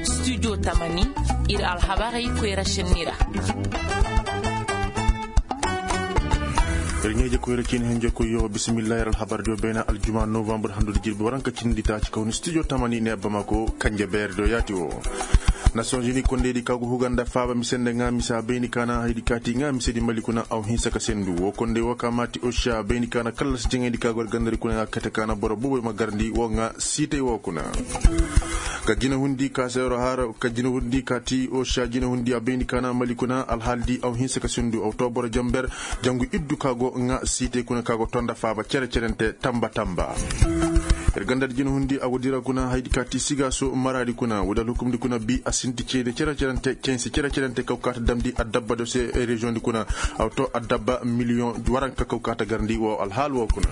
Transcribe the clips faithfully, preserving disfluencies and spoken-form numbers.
Studio tamani, ir alhabarey koyra šenni ra. Ir ɲeeje koyra ciini henjo koy yo bisimillahi ir alhabar diyo beena aljuma novambar handudi jirbi waranka cindi taaci kawni studio tamani ne bamako kanje beer diyo yaati wo. Nations unis kondey di ka go huga nda faaba mise nda ŋaa mise a bayni ka na haydi kaati ŋaa mise di mali kuna aw hinsa ka sendu wo kondey wo ka maati osha bayni ka na kallasi jaŋayndi ka go ir gandari kuna ŋaa kate ka na boro boboy ma garndi wo ŋaa siitay wo kuna. Ka jinahundi ka seero har ka jinahundi ka ti osha jinahundi a bayni ka na mali kuna alhaali di aw hinsa ka sendu aw to boro jamber jangu iddu ka go ŋaa siitay kuna ka go tonda faaba cere cerente tamba tamba. Ir ganda di jinahundi a go dira kuna haydi ka ti siga so maraadi kuna woodi alhukumndi kuna bi a sinti ceede cere cerente censi cere cerente kaw ka ta damndi addabba do se reziyoŋ di kuna. Aw to addabba miliyoŋ waranka kaw ka ta garndi wo alhaal wo kuna.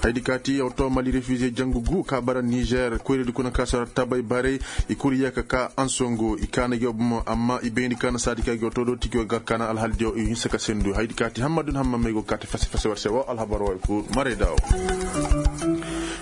Haydi ka ti aw to mali refize jangu gu ka bara nizer koyradi kuna ka sara tabay baray. I kul yee ka ka ansongo i kaana gi wo bomo amma i bayndi ka na saadi ka gi wo to do ti gi wo gar ka na alhaal diyo i hinsa ka sendu haydi ka ti hammadun hammamey go ka ti fase fase war se wo alhabar wo i kul maray da wo.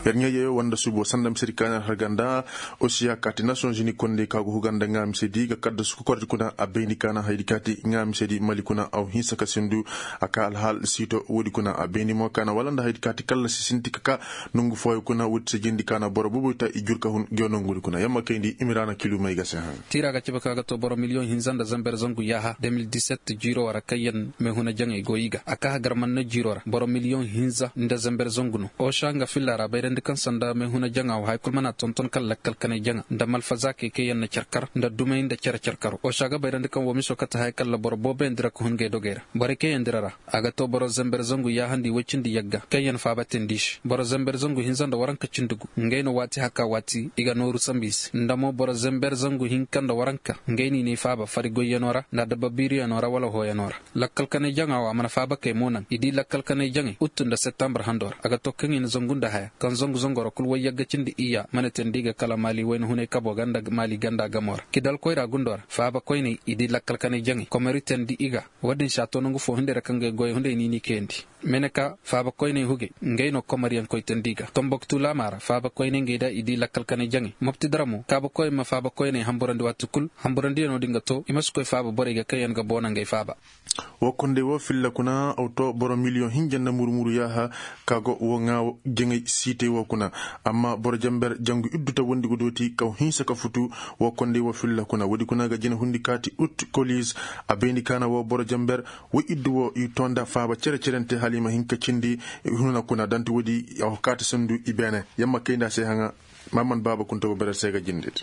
Yer ɲeeje wanda subo sanda mise di ka na alhar ganda. Osiya ka ti nations unis kondey ka go huga nda ŋaa mise di ga kadda suku kordi kuna a bayndi ka na haydi ka ti ŋaa mise di mali kuna aw hinsa ka sendu. A ka alhaal siito woodi kuna a bayndi mo ka na wala nda haydi ka ti kallasi sinti ka ka nongu fooyo kuna woodi se jindi ka na boro boboy ta i jur ka hun gi wo nongu woodi kuna yamma kayndi imiraana kilumey ga se haŋ. Tiira ga cabe ka ga to boro miliyoŋ hinza nda zamber zangu yaaha de mil diset jiiro ra kaŋ yaŋ meehuna jaŋey go i ga a ka hagar man na jiiro ra boro miliyoŋ hinza nda zamber zangu no. Osha nga filla ra bayrandi kaŋ sanda meehuna jaŋa wo haya kul mana tonton kala lakkal kanay jaŋa nda malfazaakey kaŋ yaŋ na care kar nda dumey nda care care karo osha ga bayrandi kaŋ wo miso kate haya kala boro booboyaŋ dira ka hun ngey dogey ra. Borey kaŋ yaŋ dira ra a ga to boro zamber zangu yaahandi woy cindi yagga kaŋ yaŋ faaba teendi se boro zamber zangu hinza nda waranka cindi gu. Ngey no waati haka waati i ga nooru sambu i se nda mo boro zamber zangu hinka nda waranka ngey no i ne i faaba fari goyyanoo ra nda adabba biiriyanoo ra wala hooyanoo ra. Lakkal kanay jaŋa wo a mana faaba kay mo naŋ i di lakkal kanay jaŋay uttu nda settambar handoo ra a ga to kaŋ i na zangu nda haya kaŋ zangu zangoro kul woy yagga cindi iyya mana teendi ga kala maali wayna hunay kaboo ga nda maali ganda gamoo ra kidal koyra gundoo ra faaba koynay i di lakkal kanay jaŋay komari teendi i ga. Woodin se a to nangu foo hunday ra kaŋ ga ay goyey hunday niini kayandi. Meneka faaba koyney hugey ngey no komariyaŋ koy teendi ga tomboktu laamaa ra faaba koyney ngey da i di lakkal kanay jaŋey mopti dara mo kaaba koyey ma faaba koyney hamburandi waati kul hamburandiyanoo din ga to i ma si koy faaba borey ga kaŋ yaŋ ga boona ngey faaba. Woo konday woo filla kuna aw to boro miliyoŋ hinja nda muru-muru yaaha ka go woo ŋaa jaŋay siitay woo kuna. Amma boro jamber jangu iddu ta wondi ga dooti kaw hinsa ka futu. Woo konday woo filla kuna woodi kuna ga jina hundi kaati ut koliz. A bayndi kaana woo boro jamber woy iddu woo i too nda faaba cere-cerente hala i ma hin ka cindi. Huna kuna danti woodi a kaati sandu i beene yamma kayndi a se haŋa. Maman baaba kunta go berer se ga jindedi.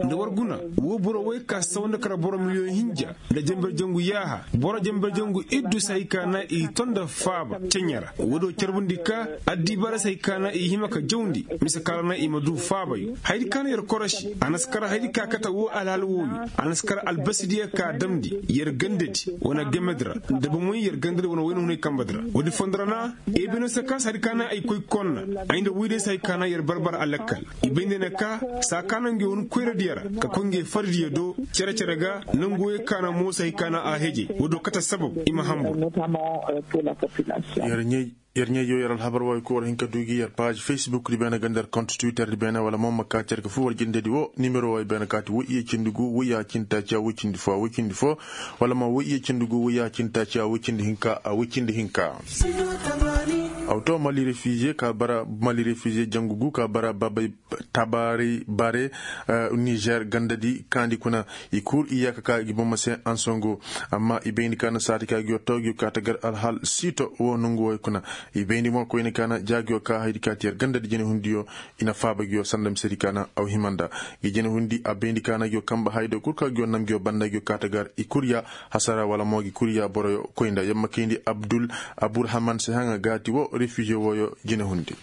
Nda war guna woo boro woy ka saw nda kara boro miliyoŋ hinja nda jamber jangu yaaha boro jamber jangu iddu se hay ka na i to nda faaba ceɲa ra woodi woo carbundi ka addibaara se hay ka na i hima ka jawndi. Mise ka ra na i ma du faabayo hayadi ka na yer korosi a na si kar hayadi ka kate woo alhaal wooyo. A na si kar albasidiyo ka damndi yer gandadi wane gamedi ra nda bomoy yer gandadi wane wayna hunay kambedi ra woodi fondo ra na. Ebino se kaŋ se hari ka na ay koy konna ay nda woydiyo se hari ka na yer barbar alakkal. I bay nda ne ka saa ka na ngey hun koyradiyo ra ka koy ngey fardiyo do cere-cere ga nangu woyey ka na mo se hari ka na a hejey woodi woo kate sabab i ma hambur. Yer ɲey yer ɲey yo yer alhabar waay ko war hin ka du gi yer paazi facebook di beene ga nda yer kont twitter di beene wala mo ma ka cerke fu war jindedi woo nimero waay beene kaati woy iyye cindi gu woy ya cindi taaci a woy cindi fo a woy cindi fo. Wala ma woy iyye cindi gu woy ya cindi taaci a woy cindi hinka a woy cindi hinka. Aw to mali refize ka bara mali refize jangu gu ka bara babay tabaari bare nizer gandadi kaandi kuna. I kul i yaaka ka i ga boma se ansongo. Amma i bayndi ka na saati ka gi yo to gi yo ka ta gar alhal siito wo nongu woy kuna. I bayndi mo koyne ka na ja gi yo ka haydi ka ti yer gandadi jene hundiyo. I na faaba gi yo sanda misedi ka na aw hima nda gi jene hundi a bayndi ka na gi yo kamba haydo kul ka gi yo nam gi yo banda gi yo ka ta gar i kul ya hasara wala mo gi kul ya boroyo koy nda yamma kayndi abdul aburhaman se haŋa gaati wo refize woyo jene hundi.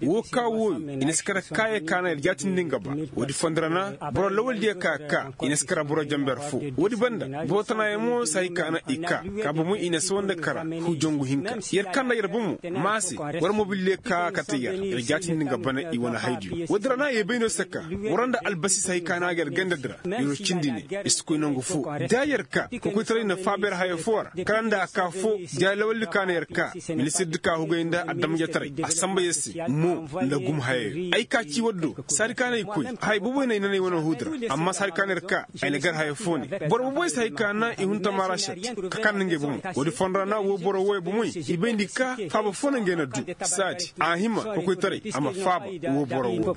Woo ka wooyo i na si kara kaayey ka na yer jaatindi nga ba. Woodi fondo ra na boro lawaldiyo ka ka i na si kara boro jamber fo. Woodi banda boro tanaayo mo se hay ka na i ka ka bomo i na si wanda kara hu jangu hinka. Yer ka nda yer bomo ma se war mobildiyo ka kate yer yer jaatindi nga bana i wane haydiyo woodi ra na ye bay no se ka war nda albasi se hay ka na ga yer gandadi ra. Yer wo cindi ne i si koy nangu fo da yer ka kokoytaray na faaba yer haya fo ra kala nda a ka fo ja lawaldi ka na yer Ka minisir di ka hugay nda adamjetaray a samba yer se mo nda gum hayayo ay ka ci waddo saadi ka no ay koy. Hay boboy no ay nanay wane huudi ra amma saadi ka no yer ka ay na gar haya fo ne. Boro boboy se hay ka na i hun tamaara set ka kan na ngey bomoy. Woodi fondo ra na woo boro wooyo bomoy i bayndi ka faaba fo no ngey na du saadi a hima kokoytaray a ma faaba woo boro woo.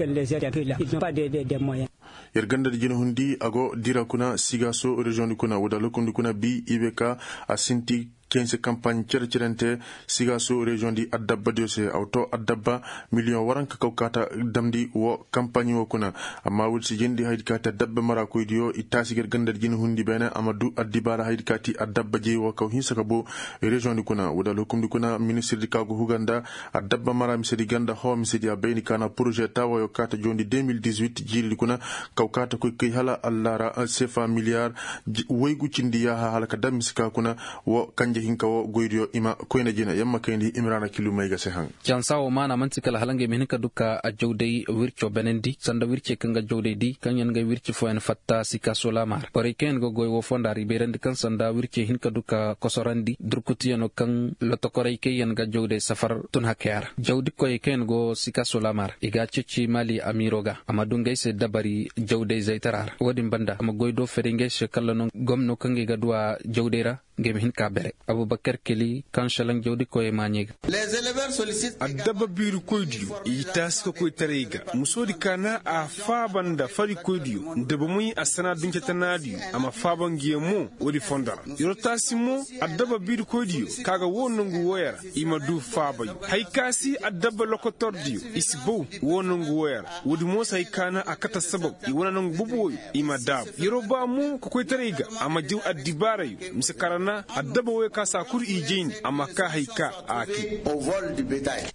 Yer ganda di jina hundi a go dira kuna sigaaso reziyoŋ di kuna woo da lokum di kuna bi i be ka a sinti kayse kampaaɲ cere cerente. Sigaaso reziyoŋ di adabba diyo se a wa too adabba miliyoŋ waranka kaw kaata damndi woo kampaaɲ woo kuna. Amma woodi si jindi hayadi kaati adabba maraakoy diyo i taasi ga yer ganda di jina hundi beene a ma du addibaara hayadi kaati adabba jey woo kaw hinsa ka boo. Reziyoŋ di kuna woo da lokum di kuna ministir di ka go huga nda adabba mara mise di ganda hoo mise di a bay ni ka na poroze taawayo kaata joondi deux mille dix-huit jiiri di kuna. Kaw kaata koy kay hala allaara sefa miliyar waygu cindi yaaha hala ka dam mise ka kuna. Woo kanje hinka woo goydiyo i ma koyna jina yamma kayndi imiraana kilu may ga se haŋ. Cansa woo maana man'ti kala hala ngey ma hin ka du ka a jawday wirco benandi sanda wircey kaŋ ga jawday di kaŋ yaŋ ga wirci fooyaŋ fatta sika solaama ra borey kaŋ yaŋ ga goy woo fonda ra i bayrandi kaŋ sanda wircey hin ka du ka kosorandi durkutiyano kaŋ lotokoray kaŋ yaŋ ga jawday safar tun hakaya ra jawdikoyey kaŋ yaŋ go sika solaama ra i ga a ceeci maali amiiro ga a ma du ngey se dabari jawday zaytara ra woodin banda a ma goy do fari ngey se kala no gomno kaŋ ga i ga du a jawday ra. Ngey ma hin ka bere abubakar keli kaŋ selaŋ jawdikoyey maaɲey ga. Addabba biirikoydiyo i taasi ka koytaray ga musoodi ka na a faaba nda farikoydiyo nda bomey a sana duncetanaadiyo a ma faaba ngiyo mo. Woodi fondo ra yer wo taasi mo addabba biirikoydiyo ka ga woo nongu wooyo ra i ma du faabayo haya ka si addabba lokotordiyo i si bow woo nongu wooyo ra. Woodi mo si haya ka na a kate assabab i wane nongu boboyo i ma daabu yer wo ba mo ka koytaray ga a ma jaw addibaarayo mise ka ra na addabba wooyo ka si a kul i jayndi a ma kaa haya ka a kay.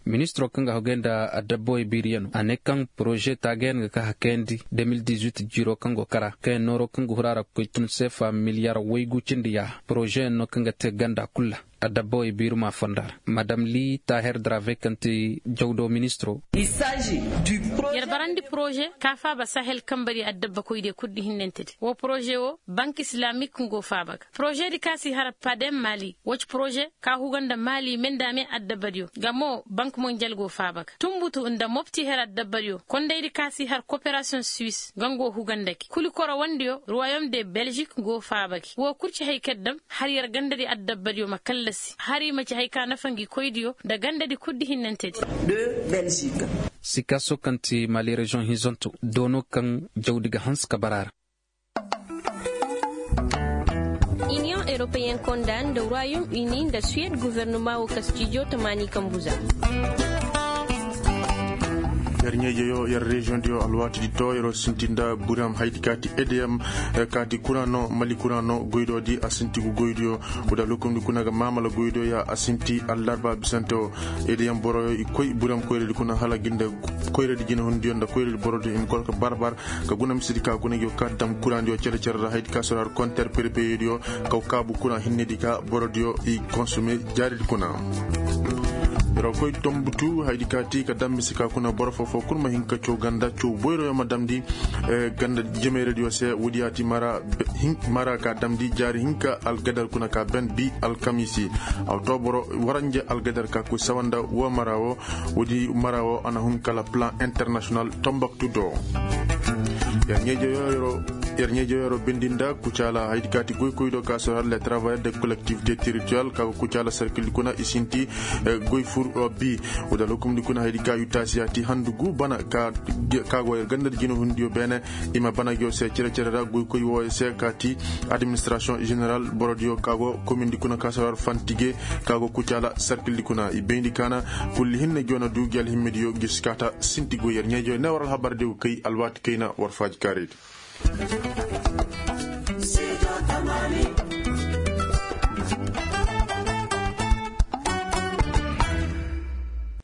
Ministiroo kaŋ ga hogay nda adabba wey biiriyanoo a ne kaŋ poroze taagayan ga ka hakayandi deux mille dix-huit jiiroo kaŋ go kara kaŋ yaŋ nooroo kaŋ ga huru a ra ga koy tun seefa miliyar waygu cindi yaaha porozeyaŋ no kaŋ ga te ganda kul ra. Adabba wey biirumaa fonda ra madam li taaher drave kaŋ ti jawdo ministiroo. Yer barandi poroze ka faaba sahel kambari adabbakoydiyo kul di hinnante di woo poroze woo bank islamik nga go faaba ga poroze di ka si har padem mali woo ci poroze ka huga nda mali me nda me adabadiyo nga mo bank monjal go faaba ga tunbutu nda mopti her adabadiyo kondaydi ka si har koperasiyoŋ suis nga nga go huga nda gi kuli korowandiyo ruwayom de belzik nga go faaba gi woo kul ci hay kaŋ dam har yer gandadi adabadiyo ma kallasi har i ma ci hay ka nafa ngi koydiyo nda gandadi kul di hinnante di. Sikaso kaŋ ti mali reziyoŋ hinzanto doono kaŋ jawdi ga hanse ka bara ra. Iniyoŋ europeyen konda nda royaume uni nda suwed guvernuma wo kastijo tamaani kambu za. Yer ɲeejeyo yer reziyoŋ diyo alwaati di to yer wo sinti nda buram haydi kaati edeyam kaati kuraano mali kuraano goydo di a sinti gu goydiyo. Wada lokomdi kuna ga maamala goydo ya a sinti allarba bisante wo. Edeyam boroyo i koy buram koyradi kuna hala ginde koyradi jinahundiyo nda koyradi borodiyo i ma kor ka barbar ka guna misedi ka guna ngi wo ka dam kuraŋ diyo cere cere ra haydi ka sora konter perpeyediyo kaw kaabu kuraŋ hinnedi ka borodiyo i konsume jaaridi kuna. Yer wo koy tombutu haydi ka ti ka dam mise ka kuna boro foo foo kul ma hin ka caw ganda caw boyroyo ma damndi ganda jemeyradiyo se woodi yaati mara mara ka damndi jaari hinka algadar kuna ka ben bi alkamiisi. A wo to boro waranje algadar ka koy sawa nda woo mara woo. Woodi mara woo a na hun kala plan internasiyonal tombaktu do. Yer ɲeejeyo yer ɲeejeyo yer wo bindi nda kucaala haydi kaati goykoy do ka sor har le travayar de kolektivite teritoriyal ka go kucaala sarkildi kuna i sinti goy fur bi. Wada lokumdi kuna haydi ka yutaasiyaati handu gu bana ka go yer gandadi jinahundiyo beene. I ma bana ngiyo se cere cere ra goykoy wooyo se ka ti administirasiyoŋ ženeral borodiyo ka go komindi kuna ka sor har fantige ka go kucaala sarkildi kuna i bayndi kaana. Kulli hinne ngiyo na du ngi alhimmediyo ngi si kaata sinti goy yer ɲeejoy ne war alhabar diyo kay alwaati kayna war faaji kaaraydi.